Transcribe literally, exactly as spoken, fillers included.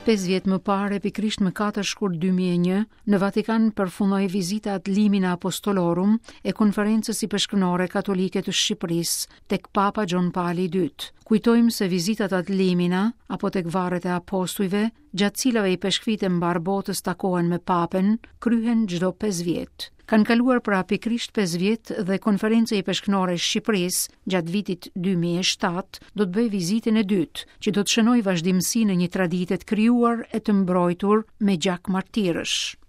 Pesë vjet më parë, pikërisht më katër shkurt dy mijë e një, në Vatikan përfundoi vizita ad limina apostolorum e Konferencës Ipeshkvnore Katolike të Shqipërisë tek Papa Gjon Pali i dytë. Kujtojmë se vizitat ad limina apo tek varret e apostujve, gjatë cilave ipeshkvit e mbar botës takohen me Papen, kryhen çdo pesë vjet. Kanë kaluar pra pikërisht pesë vjet dhe Konferenca Ipeshkvnore e Shqipërisë gjatë vitit dy mijë e shtatë do të bëjë vizitën e dytë, që do të shënojë vazhdimësinë e një tradite të krijuar e të mbrojtur me gjak martirësh.